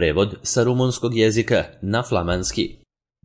prevod sa rumunskog jezika na flamanski.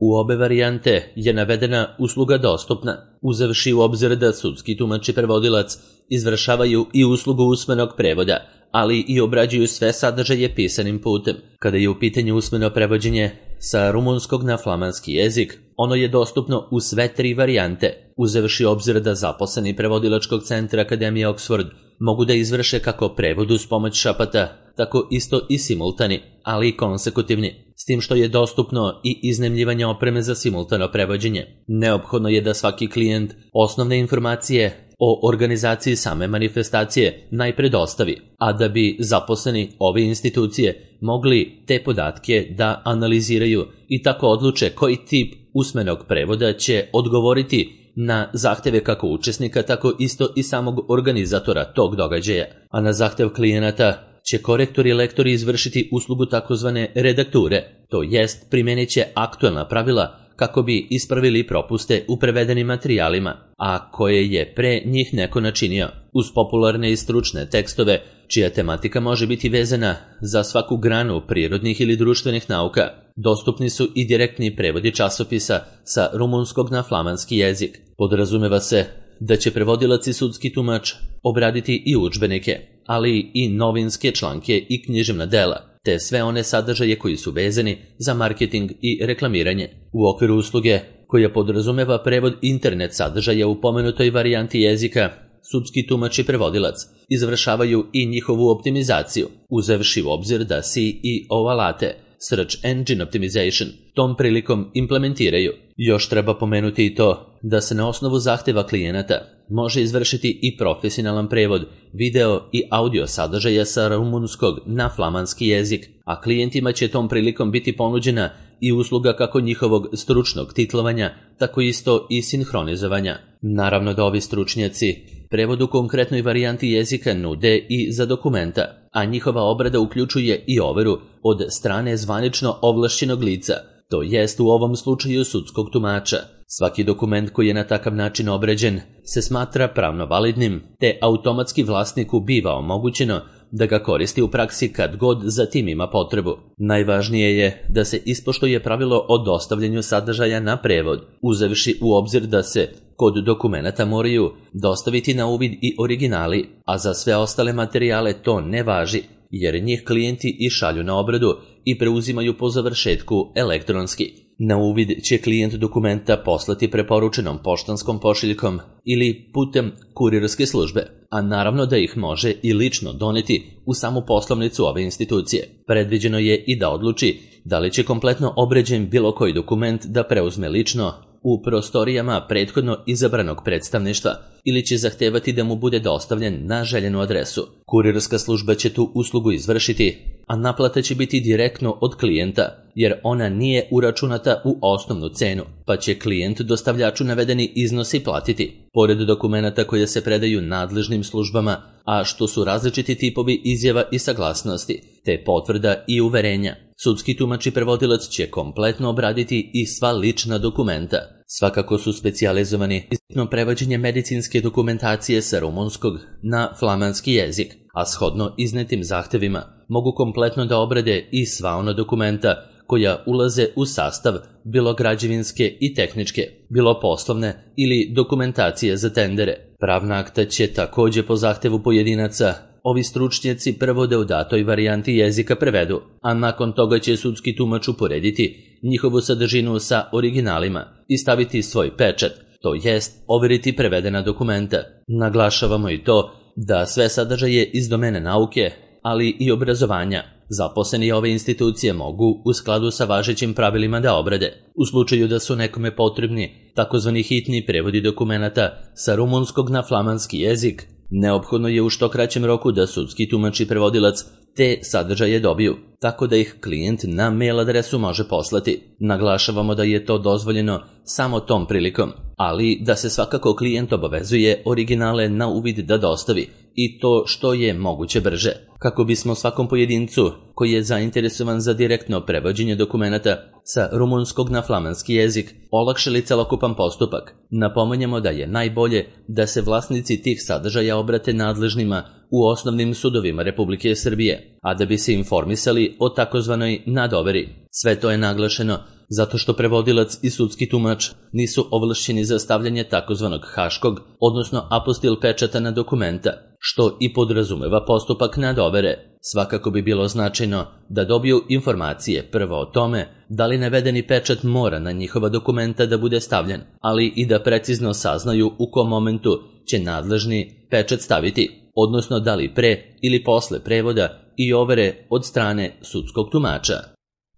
U obe varijante je navedena usluga dostupna, uzevši u obzir da sudski tumač i prevodilac izvršavaju i uslugu usmenog prevoda, ali i obrađuju sve sadržaje pisanim putem. Kada je u pitanju usmeno prevođenje sa rumunskog na flamanski jezik, ono je dostupno u sve 3 varijante, uzevši obzir da zaposleni prevodilačkog centra Akademije Oxford mogu da izvrše kako prevod uz pomoć šapata, tako isto i simultani, ali i konsekutivni, s tim što je dostupno i iznajmljivanje opreme za simultano prevođenje. Neophodno je da svaki klijent osnovne informacije o organizaciji same manifestacije najpre dostavi, a da bi zaposleni ove institucije mogli te podatke da analiziraju i tako odluče koji tip usmenog prevoda će odgovoriti na zahteve kako učesnika, tako isto i samog organizatora tog događaja, a na zahtev klijenata će korektori i lektori izvršiti uslugu takozvane redakture, to jest primenit će aktuelna pravila kako bi ispravili propuste u prevedenim materijalima, a koje je pre njih neko načinio, uz popularne i stručne tekstove, čija tematika može biti vezana za svaku granu prirodnih ili društvenih nauka. Dostupni su i direktni prevodi časopisa sa rumunskog na flamanski jezik. Podrazumeva se da će prevodilac i sudski tumač obraditi i udžbenike, ali i novinske članke i književna dela, te sve one sadržaje koji su vezani za marketing i reklamiranje. U okviru usluge koja podrazumeva prevod internet sadržaja u pomenutoj varijanti jezika, sudski tumač i prevodilac izvršavaju i njihovu optimizaciju, uzevši u obzir da SEO alate, Search Engine Optimization, tom prilikom implementiraju. Još treba pomenuti i to da se na osnovu zahteva klijenata može izvršiti i profesionalan prevod video i audio sadržaja sa rumunskog na flamanski jezik, a klijentima će tom prilikom biti ponuđena i usluga kako njihovog stručnog titlovanja, tako isto i sinhronizovanja. Naravno da ovi stručnjaci prevod u konkretnoj varijanti jezika nude i za dokumenta, a njihova obrada uključuje i overu od strane zvanično ovlašćenog lica, to jest u ovom slučaju sudskog tumača. Svaki dokument koji je na takav način obrađen se smatra pravno validnim, te automatski vlasniku biva omogućeno da ga koristi u praksi kad god za tim ima potrebu. Najvažnije je da se ispoštuje pravilo o dostavljanju sadržaja na prevod, uzevši u obzir da se kod dokumenata moraju dostaviti na uvid i originali, a za sve ostale materijale to ne važi, jer njih klijenti i šalju na obradu i preuzimaju po završetku elektronski. Na uvid će klijent dokumenta poslati preporučenom poštanskom pošiljkom ili putem kurirske službe, a naravno da ih može i lično doneti u samu poslovnicu ove institucije. Predviđeno je i da odluči da li će kompletno obrađen bilo koji dokument da preuzme lično u prostorijama prethodno izabranog predstavništva ili će zahtevati da mu bude dostavljen na željenu adresu. Kurirska služba će tu uslugu izvršiti, a naplata će biti direktno od klijenta, jer ona nije uračunata u osnovnu cenu, pa će klijent dostavljaču navedeni iznosi platiti. Pored dokumenata koje se predaju nadležnim službama, a što su različiti tipovi izjava i saglasnosti, te potvrda i uverenja, sudski tumač i prevodilac će kompletno obraditi i sva lična dokumenta. Svakako su specijalizovani za prevođenje medicinske dokumentacije sa rumunskog na flamanski jezik, a shodno iznetim zahtevima mogu kompletno da obrade i sva ona dokumenta koja ulaze u sastav bilo građevinske i tehničke, bilo poslovne ili dokumentacije za tendere. Pravna akta će takođe po zahtevu pojedinaca ovi stručnjaci prvo da u datoj varijanti jezika prevedu, a nakon toga će sudski tumač uporediti njihovu sadržinu sa originalima i staviti svoj pečat, to jest overiti prevedena dokumenta. Naglašavamo i to da sve sadržaje iz domene nauke, ali i obrazovanja, zaposleni ove institucije mogu u skladu sa važećim pravilima da obrade. U slučaju da su nekome potrebni takozvani hitni prevodi dokumenata sa rumunskog na flamanski jezik, neophodno je u što kraćem roku da sudski tumač i prevodilac te sadržaje dobiju, tako da ih klijent na mail adresu može poslati. Naglašavamo da je to dozvoljeno samo tom prilikom, ali da se svakako klijent obavezuje originale na uvid da dostavi, i to što je moguće brže. Kako bismo svakom pojedincu koji je zainteresovan za direktno prevođenje dokumenata sa rumunskog na flamanski jezik olakšali celokupan postupak, napominjemo da je najbolje da se vlasnici tih sadržaja obrate nadležnima u osnovnim sudovima Republike Srbije, a da bi se informisali o takozvanoj nadoveri. Sve to je naglašeno zato što prevodilac i sudski tumač nisu ovlašćeni za stavljanje takozvanog haškog, odnosno apostil pečata na dokumenta, što i podrazumeva postupak nadovere. Svakako bi bilo značajno da dobiju informacije prvo o tome da li navedeni pečat mora na njihova dokumenta da bude stavljen, ali i da precizno saznaju u kom momentu će nadležni pečat staviti, odnosno da li pre ili posle prevoda i overe od strane sudskog tumača.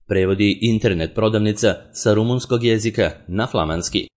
Prevodi internet prodavnica sa rumunskog jezika na flamanski.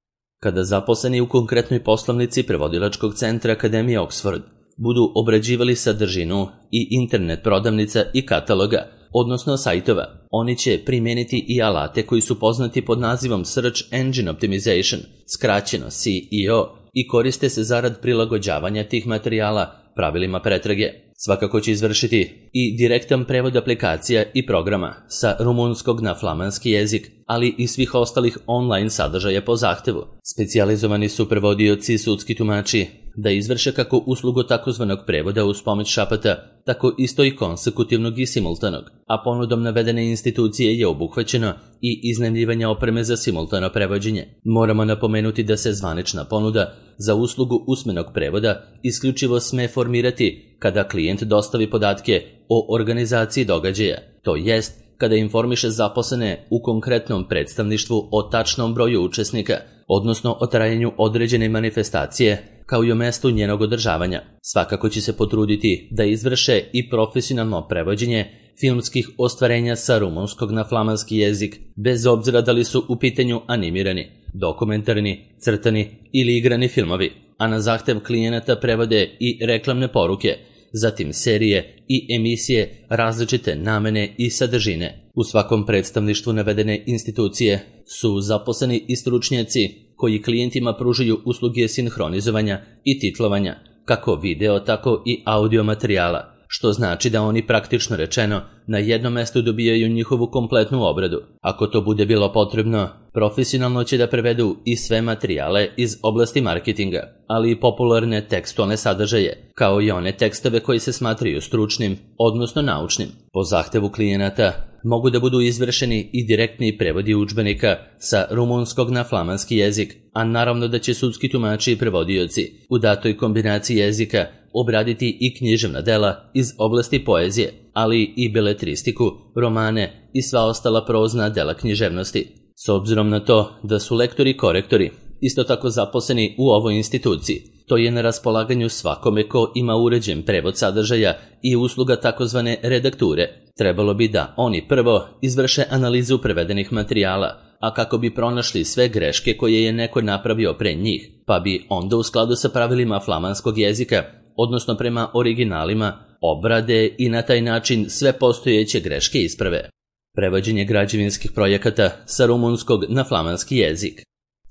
Kada zaposleni u konkretnoj poslovnici prevodilačkog centra Akademije Oxford budu obrađivali sadržinu i internet prodavnica i kataloga, odnosno sajtova, oni će primijeniti i alate koji su poznati pod nazivom Search Engine Optimization, skraćeno SEO, i koriste se zarad prilagođavanja tih materijala pravilima pretrage. Svakako će izvršiti i direktan prevod aplikacija i programa sa rumunskog na flamanski jezik, ali i svih ostalih online sadržaja po zahtevu. Specijalizovani su prevodioci i sudski tumači da izvrše kako uslugu takozvanog prevoda uz pomoć šapata, tako isto i konsekutivnog i simultanog, a ponudom navedene institucije je obuhvaćeno i iznajmljivanje opreme za simultano prevođenje. Moramo napomenuti da se zvanična ponuda za uslugu usmenog prevoda isključivo sme formirati kada klijent dostavi podatke o organizaciji događaja, to jest kada informiše zaposlene u konkretnom predstavništvu o tačnom broju učesnika, odnosno o trajanju određene manifestacije, kao i o mestu njenog održavanja. Svakako će se potruditi da izvrše i profesionalno prevođenje filmskih ostvarenja sa rumunskog na flamanski jezik, bez obzira da li su u pitanju animirani, dokumentarni, crtani ili igrani filmovi, a na zahtev klijenata prevode i reklamne poruke, zatim serije i emisije različite namene i sadržine. U svakom predstavništvu navedene institucije su zaposleni i stručnjaci koji klijentima pružaju usluge sinhronizovanja i titlovanja, kako video, tako i audio materijala, što znači da oni praktično rečeno na jednom mestu dobijaju njihovu kompletnu obradu. Ako to bude bilo potrebno, profesionalno će da prevedu i sve materijale iz oblasti marketinga, ali i popularne tekstualne sadržaje, kao i one tekstove koji se smatraju stručnim, odnosno naučnim. Po zahtevu klijenata mogu da budu izvršeni i direktni prevodi udžbenika sa rumunskog na flamanski jezik, a naravno da će sudski tumači i prevodioci u datoj kombinaciji jezika obraditi i književna dela iz oblasti poezije, ali i beletristiku, romane i sva ostala prozna dela književnosti. S obzirom na to da su lektori i korektori isto tako zaposleni u ovoj instituciji, to je na raspolaganju svakome ko ima uređen prevod sadržaja i usluga takozvane redakture. Trebalo bi da oni prvo izvrše analizu prevedenih materijala, a kako bi pronašli sve greške koje je neko napravio pre njih, pa bi onda u skladu sa pravilima flamanskog jezika, odnosno prema originalima, obrade i na taj način sve postojeće greške isprave. Prevođenje građevinskih projekata sa rumunskog na flamanski jezik.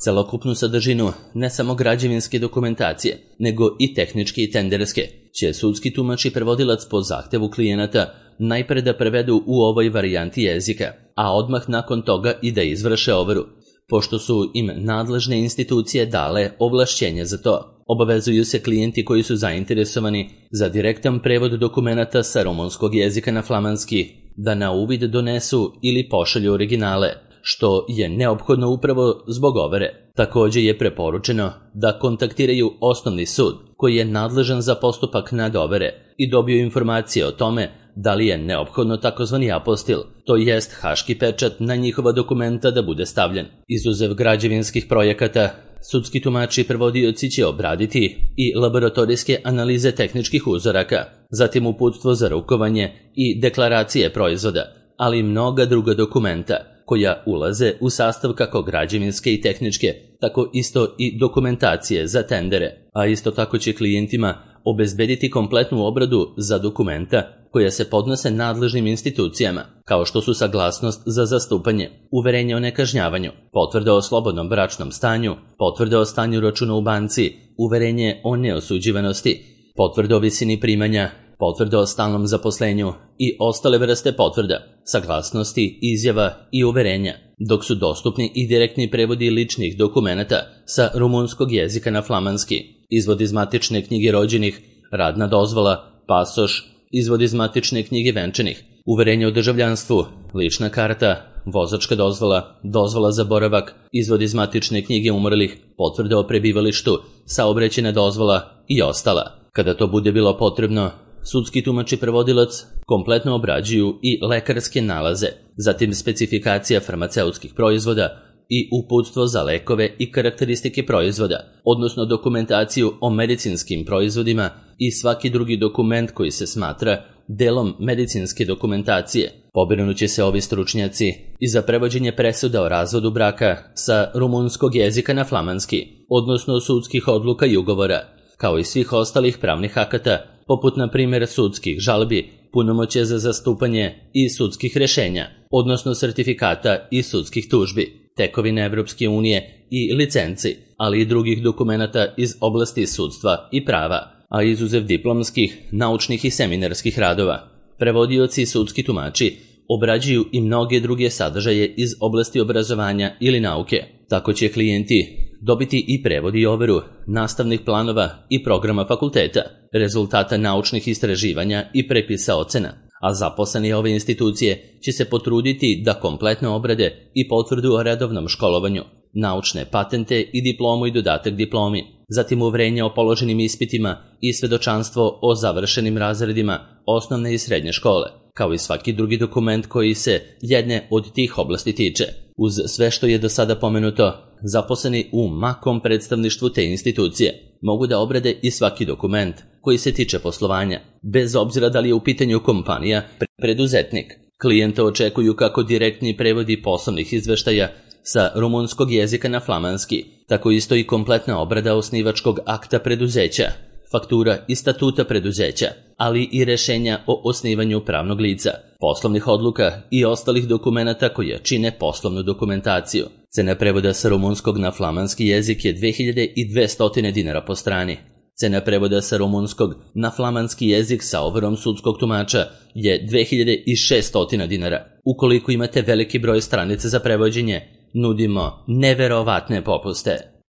Celokupnu sadržinu ne samo građevinske dokumentacije, nego i tehničke i tenderske, će sudski tumač i prevodilac po zahtevu klijenata najpre da prevedu u ovoj varijanti jezika, a odmah nakon toga i da izvrše overu. Pošto su im nadležne institucije dale ovlašćenje za to, obavezuju se klijenti koji su zainteresovani za direktan prevod dokumenata sa rumunskog jezika na flamanski da na uvid donesu ili pošalju originale, što je neophodno upravo zbog overe. Također je preporučeno da kontaktiraju osnovni sud koji je nadležan za postupak nadovere i dobiju informacije o tome da li je neophodno takozvani apostil, to jest haški pečat na njihova dokumenta da bude stavljen. Izuzev građevinskih projekata, sudski tumači i prevodioci će obraditi i laboratorijske analize tehničkih uzoraka, zatim uputstvo za rukovanje i deklaracije proizvoda, ali i mnoga druga dokumenta koja ulaze u sastav kako građevinske i tehničke, tako isto i dokumentacije za tendere, a isto tako će klijentima obezbediti kompletnu obradu za dokumenta koja se podnose nadležnim institucijama, kao što su saglasnost za zastupanje, uverenje o nekažnjavanju, potvrda o slobodnom bračnom stanju, potvrda o stanju računa u banci, uverenje o neosuđivanosti, potvrda o visini primanja, potvrda o stalnom zaposlenju i ostale vrste potvrda, saglasnosti, izjava i uverenja, dok su dostupni i direktni prevodi ličnih dokumenata sa rumunskog jezika na flamanski, izvod iz matične knjige rođenih, radna dozvola, pasoš, izvod iz matične knjige venčanih, uverenje o državljanstvu, lična karta, vozačka dozvola, dozvola za boravak, izvod iz matične knjige umrlih, potvrda o prebivalištu, saobraćajna dozvola i ostala. Kada to bude bilo potrebno, sudski tumač i prevodilac kompletno obrađuju i lekarske nalaze, zatim specifikacija farmaceutskih proizvoda i uputstvo za lekove i karakteristike proizvoda, odnosno dokumentaciju o medicinskim proizvodima i svaki drugi dokument koji se smatra delom medicinske dokumentacije. Pobrinuće se ovi stručnjaci i za prevođenje presuda o razvodu braka sa rumunskog jezika na flamanski, odnosno sudskih odluka i ugovora, kao i svih ostalih pravnih akata, poput na primjer sudskih žalbi, punomoćja za zastupanje i sudskih rešenja, odnosno sertifikata i sudskih tužbi, tekovine Evropske unije i licenci, ali i drugih dokumenata iz oblasti sudstva i prava, a izuzev diplomskih, naučnih i seminarskih radova. Prevodioci i sudski tumači obrađuju i mnoge druge sadržaje iz oblasti obrazovanja ili nauke. Tako će klijenti dobiti i prevod i overu nastavnih planova i programa fakulteta, rezultata naučnih istraživanja i prepisa ocena, a zaposleni ove institucije će se potruditi da kompletno obrade i potvrdu o redovnom školovanju, naučne patente i diplomu i dodatak diplomi, zatim uverenje o položenim ispitima i svedočanstvo o završenim razredima osnovne i srednje škole, kao i svaki drugi dokument koji se jedne od tih oblasti tiče. Uz sve što je do sada pomenuto, zaposleni u makom predstavništvu te institucije mogu da obrade i svaki dokument koji se tiče poslovanja, bez obzira da li je u pitanju kompanija, preduzetnik. Klijenta očekuju kako direktni prevodi poslovnih izveštaja sa rumunskog jezika na flamanski, tako isto i kompletna obrada osnivačkog akta preduzeća, faktura i statuta preduzeća, ali i rešenja o osnivanju pravnog lica, poslovnih odluka i ostalih dokumenata koje čine poslovnu dokumentaciju. Cena prevoda sa rumunskog na flamanski jezik je 2200 dinara po strani. Cena prevoda sa rumunskog na flamanski jezik sa overom sudskog tumača je 2600 dinara. Ukoliko imate veliki broj stranica za prevođenje, nudimo neverovatne popuste.